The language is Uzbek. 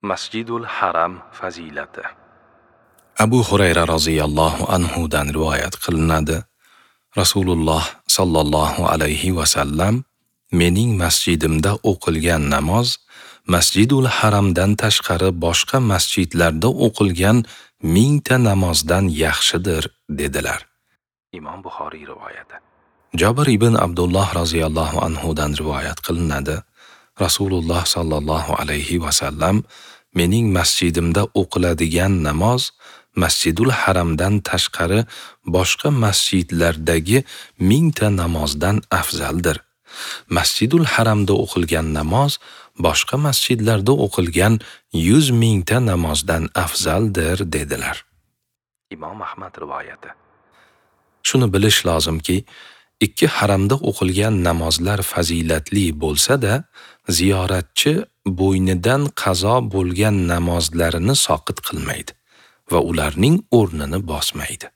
Masjidul Haram fazilati. Abu Hurayra roziyallohu anhu dan rivoyat qilinadi. Rasululloh sallallohu alayhi va sallam mening masjidimda o'qilgan namoz Masjidul Haramdan tashqari boshqa masjidlarda o'qilgan 1000 ta namozdan yaxshidir dedilar. Imom Buxoriy rivoyati. Jabir ibn Abdulloh roziyallohu anhu dan rivoyat qilinadi. Rasululloh sallallohu alayhi va sallam mening masjidimda o'qiladigan namoz Masjidul Haramdan tashqari boshqa masjidlardagi 1000 ta namozdan afzaldir. Masjidul Haramda o'qilgan namoz boshqa masjidlarda o'qilgan 100 000 ta namozdan afzaldir dedilar. Imom Ahmad rivoyati. Shuni bilish lozimki, ikki haramda o'qilgan namozlar fazilatli bo'lsa-da, ziyoratchi bo'ynidan qazo bo'lgan namozlarini soqit qilmaydi va ularning o'rnini bosmaydi.